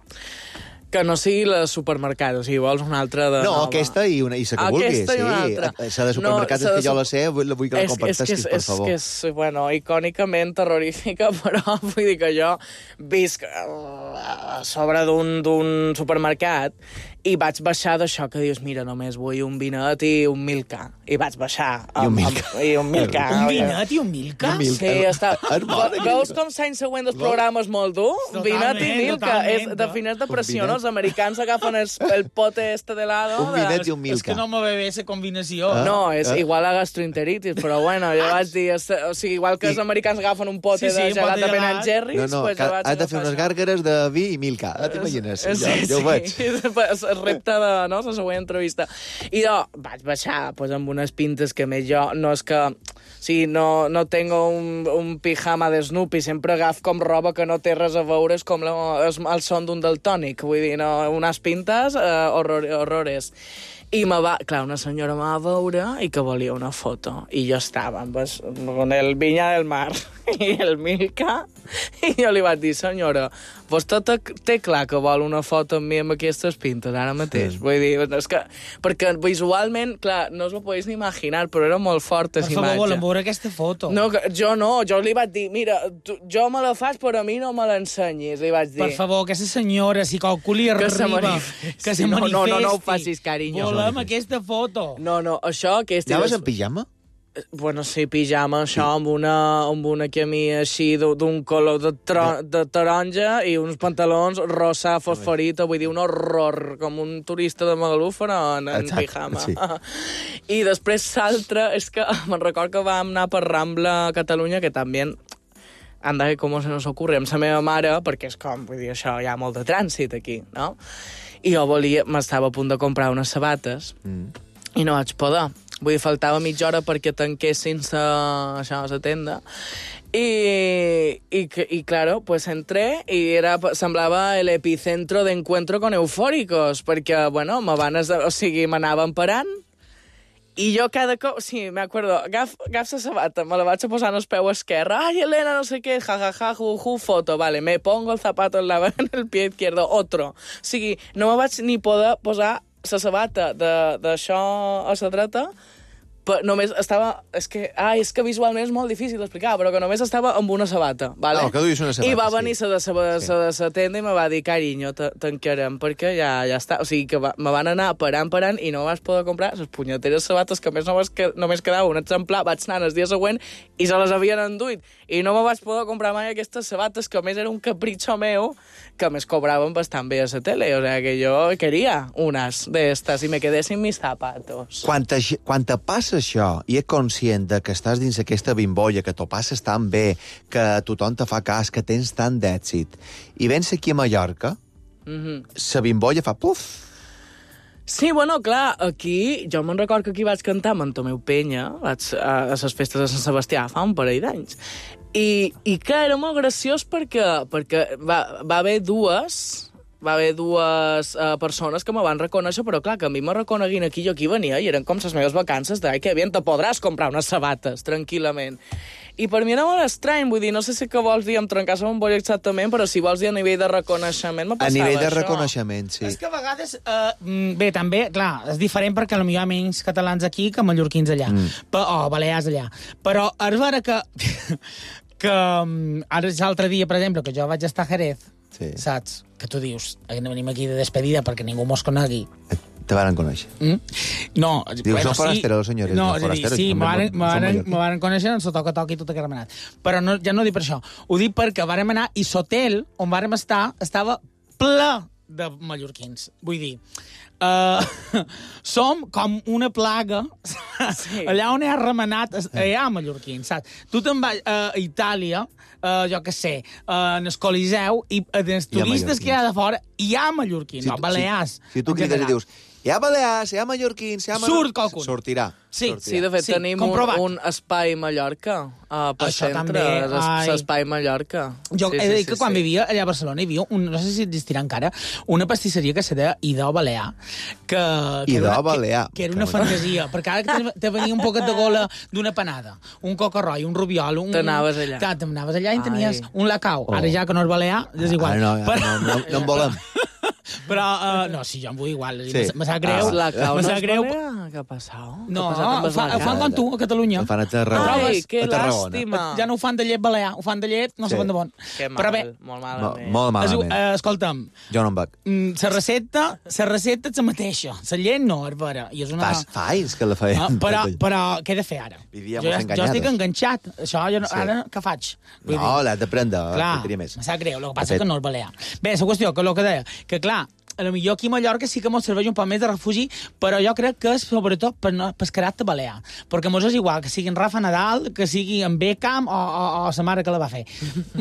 Que no sigui la supermercat, o sigui, vols una altra de nova. Aquesta i la que vulguis. Aquesta i una altra. La de supermercat és que jo la sé, vull que la comparteixis, per favor. És que és, bueno, icònicament terrorífica, però vull dir que jo visc a sobre d'un supermercat i vaig baixar d'això que dius, mira, només vull un vinet i un Milka. I vaig baixar. I un Milka. Un vinet i un Milka? Sí, està... Veus com l'any següent dels programes molt dur? Vinet i Milka. Defineix depressió, no? Els americans agafen el pote este de lado. Un vinet i un Milka. És que no me ve bé esa combinació. No, és igual a gastroenteritis, però bueno, jo vaig dir... O sigui, igual que els americans agafen un pote de gelat de Ben & Jerry's... No, has de fer unes gàrgares de vi i Milka. T'imagines? Jo ho veig. El repte de la següent entrevista. I jo vaig baixar amb unes pintes que més jo no és que... Sí, no tengo un pijama de Snoopy, sempre agaf com roba que no té res a veure, és com el son d'un daltònic, vull dir, no, unes pintes horrores. I una senyora me va veure i que volia una foto. I jo estava amb el Viña del Mar i el Milka, i jo li vaig dir, senyora, vostè té clar que vol una foto amb mi amb aquestes pintes ara mateix? Vull dir, és que, perquè visualment, clar, no us ho podeu ni imaginar, però era molt forta aquesta imatge. Per favor, volem veure aquesta foto. No, jo li vaig dir, mira, jo me la faig, però a mi no me l'ensenyis, li vaig dir. Per favor, aquesta senyora, si qualcú li arriba, que se manifesti. No ho facis, carinyo. Volem aquesta foto. No, això... Anaves en pijama? Bueno, sí, pijama, això, amb una camisa així d'un color de taronja i uns pantalons rosa fosforito, vull dir, un horror, com un turista de Magaluf, però en pijama. Sí. I després l'altre, és que me'n record que vam anar per Rambla a Catalunya, que també anda, com se nos ocurre, amb la meva mare, perquè és com, vull dir, això, hi ha molt de trànsit aquí, no? I jo m'estava a punt de comprar unes sabates i no vaig poder. Vull dir, faltava mitja hora perquè tanquessin la tenda. Y claro, pues entré y semblava el epicentro de encuentro con eufóricos, perquè, bueno, m'anaven parant, i jo cada cop... Sí, me acuerdo, agaf la sabata, me la vaig a posar en el peu esquerre. Ai, Elena, no sé què, jajaja, foto. Vale, me pongo el zapato en el pie izquierdo, otro. O sigui, no me vaig ni poder posar la sabata d'això a la dreta, només estava... És que visualment és molt difícil d'explicar, però que només estava amb una sabata, vale? No, que duis una sabata, I va venir la de la tenda i me va dir, carinyo, tancarem, perquè ja està. O sigui, que me van anar parant i no vas poder comprar les punyeteres sabates, que a més només quedava un exemplar. Vaig anar el dia següent i se les havien enduit. I no me vaig poder comprar mai aquestes sabates, que a més era un capritxo meu, que més cobraven bastant bé a la tele. O sigui, que jo queria unes d'estes i me quedé sin mis zapatos. Quan te passa això i és conscient de que estàs dins aquesta bimbolla, que t'ho passes tan bé, que tothom te fa cas, que tens tant d'èxit, i vens aquí a Mallorca, la bimbolla fa puf. Sí, bueno, clar, aquí... Jo me'n record que aquí vaig cantar amb en Tomeu Penya a les festes de Sant Sebastià fa un parell d'anys. I clar, era molt graciós perquè va haver dues persones que me van reconèixer, però clar, que a mi me reconeguin aquí, jo aquí venia i eren com les meves vacances de que bien, te podràs comprar unes sabates, tranquil·lament. I per mi era molt estrany, vull dir, no sé si que vols dir amb trencar la bombolla exactament, però si vols dir a nivell de reconeixement, me passava això. A nivell de reconeixement, sí. És que a vegades, bé, també, clar, és diferent perquè potser hi ha menys catalans aquí que mallorquins allà, o balears allà. Però és vera que ara l'altre dia, per exemple, que jo vaig estar a Jerez, sí. Saps? Que tu dius, venim aquí de despedida perquè ningú mos conegui. Te van conèixer. No, dius, bueno, són forasteros, senyores. No, és a dir, sí, me van conèixer en el toca-toc i tot aquest remenat. Però no, ja no ho dic per això. Ho dic perquè vàrem anar i l'hotel on vàrem estar estava ple de mallorquins. Vull dir, som com una plaga, sí. Allà on hi ha remenat hi ha mallorquins, saps? Tu te'n vas a Itàlia, jo què sé, en el Coliseu, i els turistes que hi ha de fora hi ha mallorquins, balears. Si tu crides i dius, hi ha balears, hi ha mallorquins, hi ha... Surt qualcun. Sortirà. Sí, de fet, tenim un espai Mallorca per centre, l'espai Mallorca. Jo he de dir que quan vivia allà a Barcelona hi havia, no sé si existirà encara, una pastisseria que se deia Idò Balear. Idò Balear. Que era una fantasia, perquè ara te venia un poquet de gola d'una panada, un coca-roi, un rubiol... T'anaves allà. Clar, t'anaves allà i tenies un lacau. Ara ja que no és balear, és igual. No en volem. Però, no, sí, jo em vull igual. Sí. Me sap greu. Me sap greu. Què ha passat? No, ho fan com tu, a Catalunya. Ho fan a Tarragona. Ai, que làstima. Ja no ho fan de llet balear, ho fan de llet, no sé de bon. Que mal, però bé, molt malament. Molt malament. Escolta'm. Jo no em vaig. La recepta és la mateixa. La llet no, és vera. Fa anys que la feien. Però què he de fer ara? Jo estic enganxat. Això, ara què faig? No, l'has de prendre. Clar, me sap greu. El que passa és que no és balear. Bé, la qüestió, que el que deia, que clar, a lo millor aquí a Mallorca sí que mos serveix un poc més de refugi, però jo crec que és sobretot per caràcter balear. Perquè mos és igual que sigui en Rafa Nadal, que sigui en Beckham o sa mare que la va fer.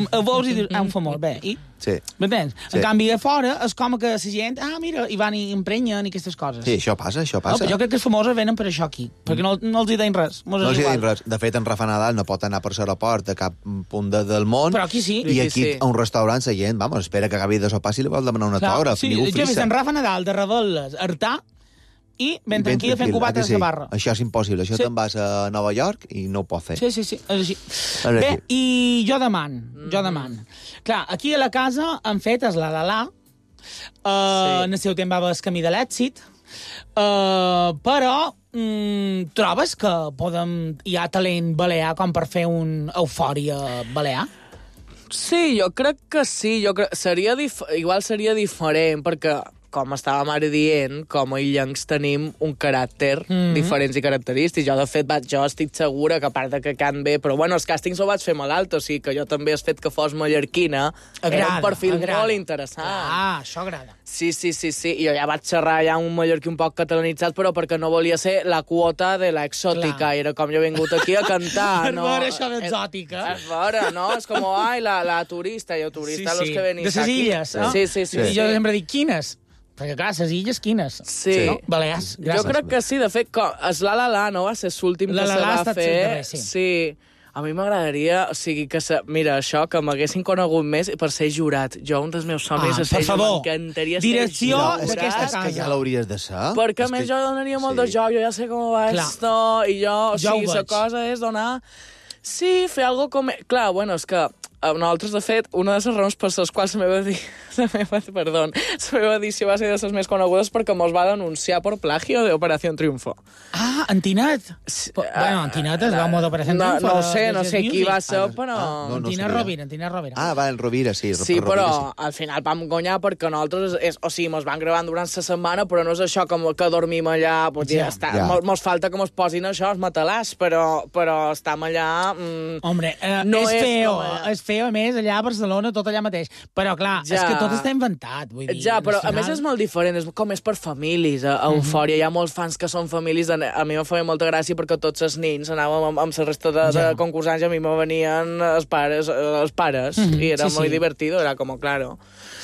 El vols i dius, un famós, bé, i... Sí. M'entens? Sí. En canvi, a fora és com que la gent, mira, i van i emprenyen i aquestes coses. Sí, això passa. No, jo crec que els famosos venen per això aquí, perquè no els hi deien res. No els hi deien res. De fet, en Rafa Nadal no pot anar per l'aeroport a cap punt del món. Però aquí sí. I aquí, a un restaurant, la gent, espera que acabi de sopar si li vol demanar un autògraf. Sí, jo he vist en Rafa Nadal de Rebel·les, Artà, i ben tranquil fent cubates a la barra. Això és impossible. Això te'n vas a Nova York i no ho pots fer. Sí, és així. Bé, i jo demano. Clar, aquí a la casa han fet el la. En el seu temps va haver el camí de l'èxit, però trobes que hi ha talent balear com per fer un Eufòria balear? Sí, jo crec que sí. Igual seria diferent, perquè, com estàvem ara dient, com a illencs tenim un caràcter diferents i característics. Jo, de fet, jo estic segura que, a part de que can bé, però bueno, els càstings ho vaig fer malalt, o sigui que jo també has fet que fos mallorquina. Era un perfil molt interessant. Això agrada. Sí. I jo ja vaig xerrar ja un mallorquí un poc catalanitzat, però perquè no volia ser la quota de l'exòtica. Era com jo he vingut aquí a cantar. Per veure això d'exòtica. És veure, no? És com, la turista, los que venís aquí. De les illes, no? Sí. I jo sempre dic, quines? Perquè, clar, les illes quines? Sí. No? Balears, gràcies. Jo crec que sí, de fet, és la, no va ser l'últim que se va fer. Sí. A mi m'agradaria, o sigui, mira, això, que m'haguessin conegut més per ser jurat. Jo, un dels meus somnis és ser jurat. M'encantaria ser direcció d'aquesta casa. És que ja l'hauries de ser. Perquè, a més, jo donaria molt de joc, jo ja sé com va esto, i jo, o sigui, la cosa és donar... Sí, fer algo com... Clar, bueno, és que nosaltres, de fet, una de les raons per les quals la meva edició va ser de les més conegudes perquè mos va denunciar per plagio de Operació Triunfo. Antinet? Bueno, Antinet es va modo Operació Triunfo. No sé qui va ser, però... Antinet Rovira. Va, el Rovira, sí. Sí, però al final vam guanyar perquè nosaltres... O sigui, mos van gravant durant la setmana, però no és això com que dormim allà... Mos falta que mos posin això, els matalàs, però estem allà... Hombre, és feo, a més, allà a Barcelona, tot allà mateix. Però, clar, és que tot està inventat, vull dir. Ja, però a més és molt diferent, és per famílies, a Eufòria. Hi ha molts fans que són famílies. A mi em feia molta gràcia perquè tots els nins anàvem amb la resta de concursants i a mi me venien els pares, i era molt divertido, era com, claro.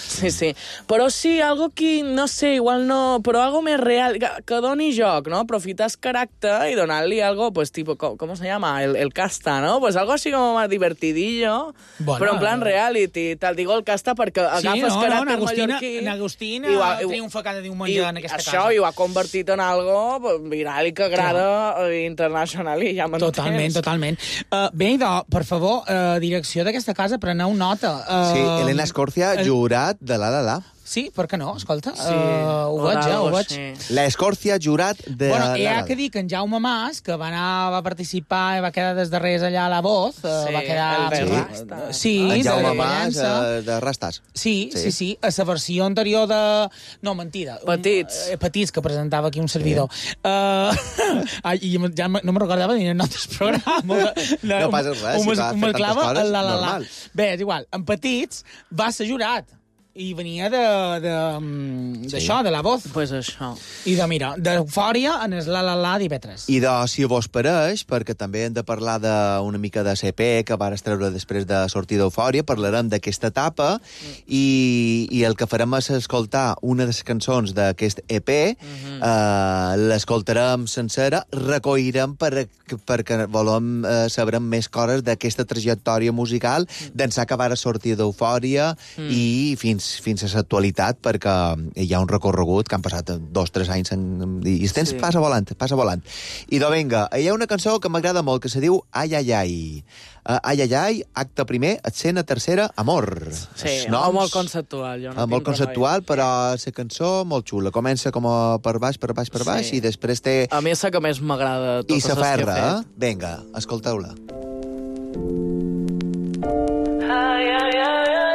Sí. Però sí, algo que, no sé, igual no... Però algo més real, que doni joc, no? Aprofitar el caràcter i donar-li algo, pues, tipo, ¿cómo se llama? El casta, ¿no? Pues algo así como más divertidillo, bueno, però en plan reality. Te'l digo el casta perquè agafes caràcter mallorquí... N'Agustina triomfa cada diumenge en aquesta casa. Això, i ho ha convertit en algo viral i que agrada internacional, i ja m'entens. Totalment. Bé, per favor, direcció d'aquesta casa, preneu nota. Sí, Elena Escorcia, jurat de la. Sí, per què no? Escolta, ho veig. La Escorcia, jurat de la. Hi ha que dir que en Jaume Mas, que va participar i va quedar des darrers allà a la Voz, va quedar... En Jaume Mas, de Rastas. Sí. A la versió anterior de... No, mentida. Petits, que presentava aquí un servidor. I ja no me'n recordava ni en altres programes. No passa res, si va fer tantes coses, normal. Bé, és igual. En Petits va ser jurat. I venia d'això, de la Voz. Pues això. I mira, d'Eufòria en el la d'IV3. I si vos pareix, perquè també hem de parlar d'una mica de CP que vas treure després de sortir d'Eufòria, parlarem d'aquesta etapa i el que farem és escoltar una de les cançons d'aquest EP, l'escoltarem sencera, recollirem perquè volem saber més coses d'aquesta trajectòria musical d'ençà que vas sortir d'Eufòria i fins a l'actualitat, perquè hi ha un recorregut que han passat 2-3 anys i el temps passa volant. I vinga, hi ha una cançó que m'agrada molt, que se diu Ai, ai, ai. Ai, ai, ai, acte primer, escena tercera, amor. Sí, molt conceptual. Molt conceptual, però la cançó molt xula. Comença com per baix, i després té... A mi és la que més m'agrada de totes les que he fet. Vinga, escolteu-la. Ai, ai, ai, ai.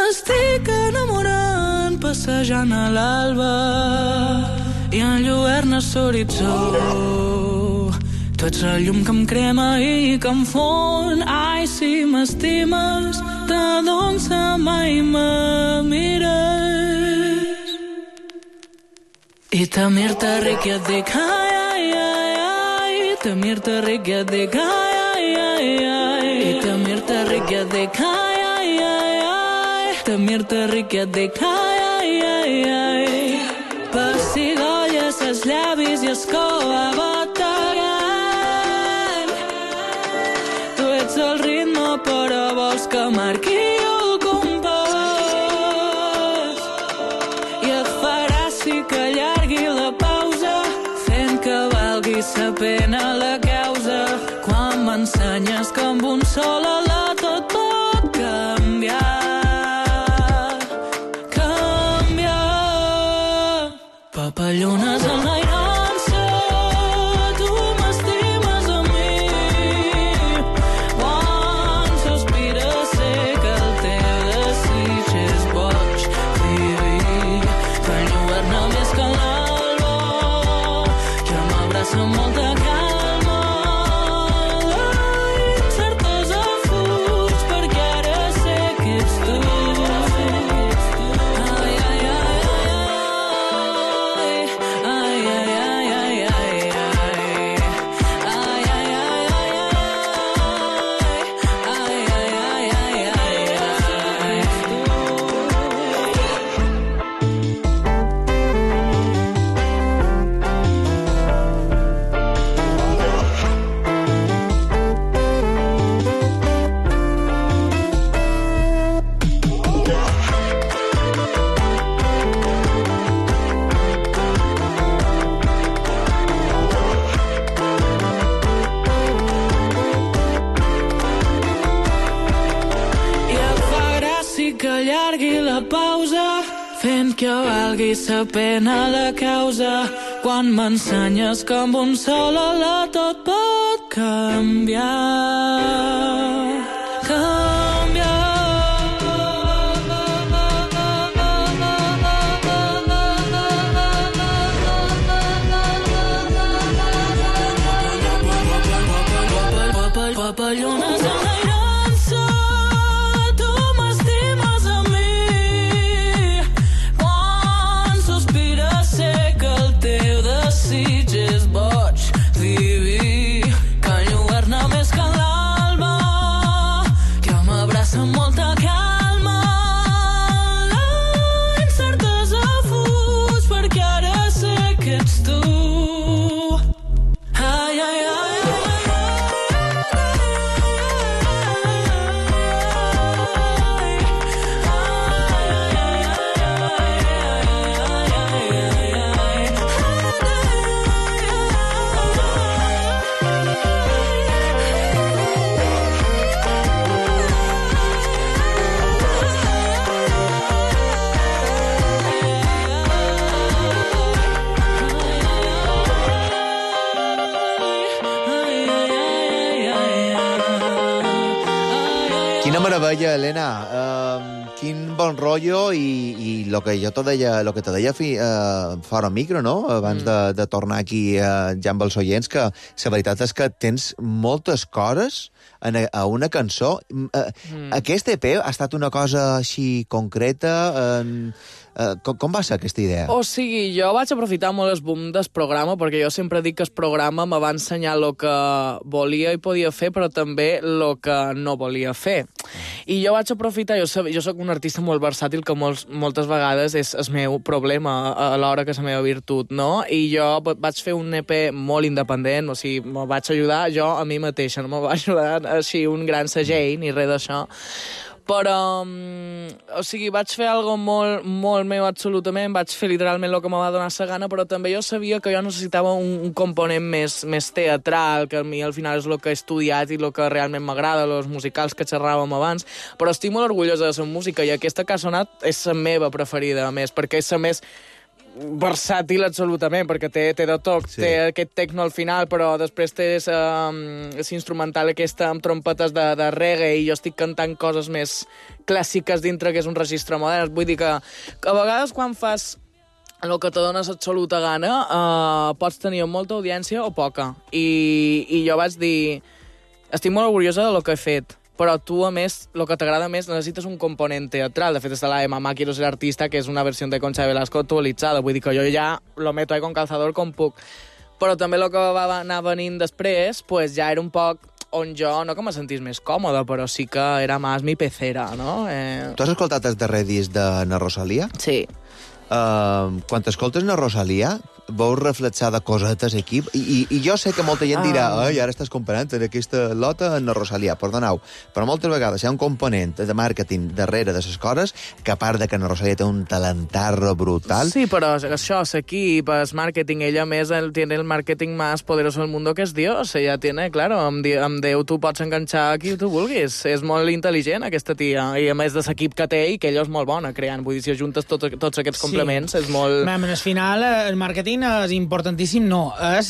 Estic enamorant, passejant a l'alba i enlluerna l'horitzó. Tu ets la llum que em crema i que em fon. Ai, si m'estimes, t'adons mai me mires. I Tamir-te ric i et dic ai, ai, ai, ai. Tamir-te ric i et dic ai, ai, ai, ai. I Tamir-te ric i et dic ai, ai, ai, ai. Tamir-te ric i et dic ai, ai, ai, ai. Pessigolles els llavis i es cova bategant. Tu ets el ritme però vols que marqui el compàs. s'allargui la pausa, fent que valgui la pena la causa. Quan m'ensenyes que amb un sol alè tot pot canviar. Papallones enlairant-se, tu m'estimes a mi. Quan sospires sé que el teu desig és boig diví, que enlluerna més que l'alba, que m'abraça amb molta calma. La incertesa fuig perquè ara sé que ets tu. Ai, ai, ai. Quina meravella, Helena. Quin bon rotllo i lo que te deia fora micro, no? Abans de tornar aquí ja amb els oients, que la veritat és que tens moltes coses a una cançó. Aquest EP ha estat una cosa així concreta? Com va ser aquesta idea? O sigui, jo vaig aprofitar molt el boom del programa, perquè jo sempre dic que el programa me va ensenyar el que volia i podia fer, però també el que no volia fer. I jo vaig aprofitar, jo soc un artista molt versàtil, que moltes vegades és el meu problema a l'hora que és la meva virtut, no? I jo vaig fer un EP molt independent, o sigui, me vaig ajudar jo a mi mateixa, no me va ajudar així un gran segell ni res d'això. Però, o sigui, vaig fer algo molt, molt meu absolutament, vaig fer literalment el que me va donar la gana, però també jo sabia que jo necessitava un component més teatral, que a mi al final és el que he estudiat i el que realment m'agrada, els musicals que xerràvem abans, però estic molt orgullosa de la música i aquesta cançonat és la meva preferida, a més, perquè és la més versàtil absolutament, perquè té de tot, sí. Té aquest techno al final, però després té l'instrumental aquesta amb trompetes de reggae i jo estic cantant coses més clàssiques dintre que és un registre modern. Vull dir que a vegades quan fas el que te dones absoluta gana pots tenir molta audiència o poca. I jo vaig dir, estic molt orgullosa del que he fet, però tu, a més, el que t'agrada més, necessites un component teatral. De fet, està la de Mamá quiero ser artista, que és una versió de Concha Velasco actualitzada. Vull dir que jo ja lo meto ahí con calzador com puc. Però també el que va anar venint després, pues ja era un poc on jo, no que me sentís més còmode, però sí que era més mi pecera, no? Tu has escoltat el darrer disc de na Rosalia? Sí. Quan t'escoltes na Rosalia, veus reflexada cosetes aquí, i jo sé que molta gent dirà ai, ara estàs comparant en aquesta lota en la Rosalia, perdoneu, però moltes vegades hi ha un component de màrqueting darrere de les coses, que a part de que na Rosalia té un talentarro brutal... Sí, però això, l'equip, el màrqueting, ella més tiene el màrqueting més poderoso del mundo que és Dios, ella tiene, claro, amb Déu tu pots enganxar qui tu vulguis, és molt intel·ligent aquesta tia, i a més de l'equip que té i que ella és molt bona creant, vull dir, si ajuntes tots aquests complements, és molt... Al final, el màrqueting és importantíssim, no. És,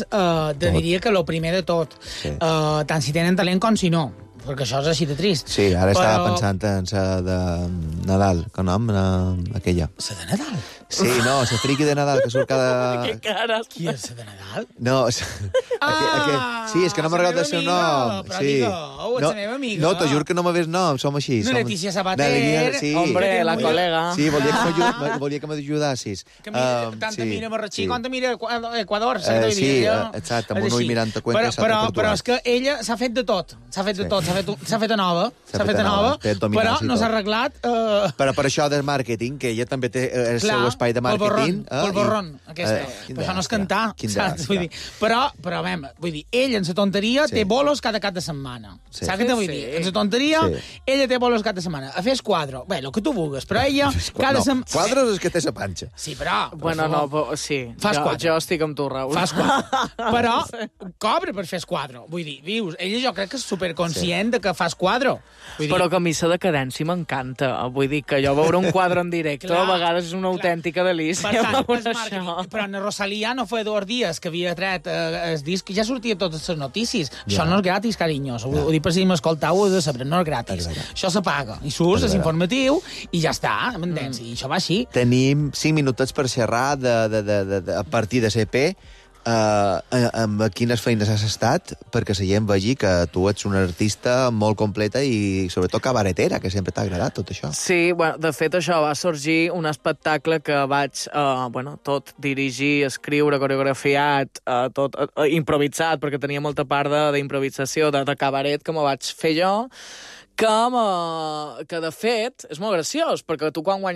diria que el primer de tot. Sí. Tant si tenen talent com si no. Perquè això és així de trist. Sí, ara estava pensant en la de Nadal, com nom? Aquella. La de Nadal? Sí, no, la friki de Nadal, que surt cada... Que cares. Qui és la de Nadal? No, sí, és que no m'ha regalat el seu nom. Però sí. digueu, és la meva amiga. No, t'ho juro que no m'hagués nom, som així. No, Leticia Sabater. Sí. Hombre, la col·lega. Sí, volia que m'ajudassis. Tanta mira Marratxí, quanta mira Equador. Sí, exacte, amb un ull mirant a Cuenca. Però és que ella s'ha fet de tot. S'ha fet a nova, però no s'ha arreglat... Però per això del màrqueting, que ella també té el seu espai de màrqueting. Pel borrón, aquesta. Però això no és cantar, saps? Però, vull dir, ell en la tonteria té bolos cada cap de setmana. Saps què te vull dir? En la tonteria, ella té bolos cada setmana. A fer quadro. Bé, el que tu vulguis, però ella cada setmana... Quadros és que té la panxa. Sí, però... Bueno, no, sí. Jo estic amb tu, Raül. Fas quadro. Però cobra per fer quadro. Vull dir, vius, ella jo crec que és superconscient de que fas quadro. Però que a mi la decadència m'encanta. Vull dir que jo veure un quadre en directe a vegades és una autèntica delícia. Per tant, però en Rosalía no fa 2 dies que havia tret el disc, ja sortia totes les notícies. Això no és gratis, carinyos. Ho dic per si m'escoltau, ho he de saber, no és gratis. Això se paga. I surts, és informatiu, i ja està, m'entens? I això va així. Tenim 5 minutets per xerrar a partir de CP. Amb quines feines has estat, perquè la gent vegi que tu ets una artista molt completa i sobretot cabaretera, que sempre t'ha agradat tot això. Sí, bueno, de fet això va sorgir un espectacle que vaig tot dirigir, escriure, coreografiat, tot improvisat, perquè tenia molta part d'improvisació, de cabaret que me vaig fer jo, que de fet és molt graciós, perquè tu quan guanyes